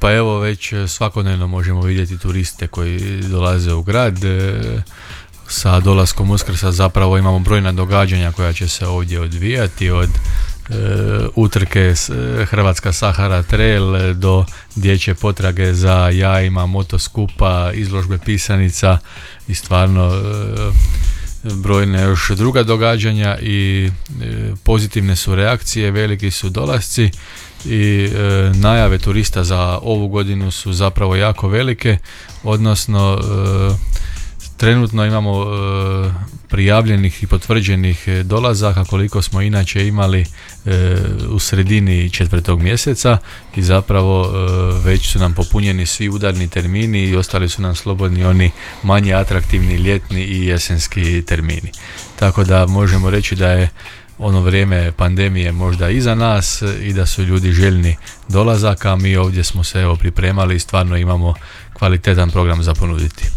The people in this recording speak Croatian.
Pa evo već svakodnevno možemo vidjeti turiste koji dolaze u grad. Sa dolaskom Uskrsa zapravo imamo brojna događanja koja će se ovdje odvijati, od utrke Hrvatska Sahara Trail do dječje potrage za jajima, motoskupa, izložbe pisanica i stvarno brojne još druga događanja i pozitivne su reakcije, veliki su dolasci i najave turista za ovu godinu su zapravo jako velike, odnosno trenutno imamo prijavljenih i potvrđenih dolazaka koliko smo inače imali u sredini 4. mjeseca i zapravo već su nam popunjeni svi udarni termini i ostali su nam slobodni oni manje atraktivni ljetni i jesenski termini. Tako da možemo reći da je ono vrijeme pandemije možda iza nas i da su ljudi željni dolazaka, mi ovdje smo se pripremali i stvarno imamo kvalitetan program za ponuditi.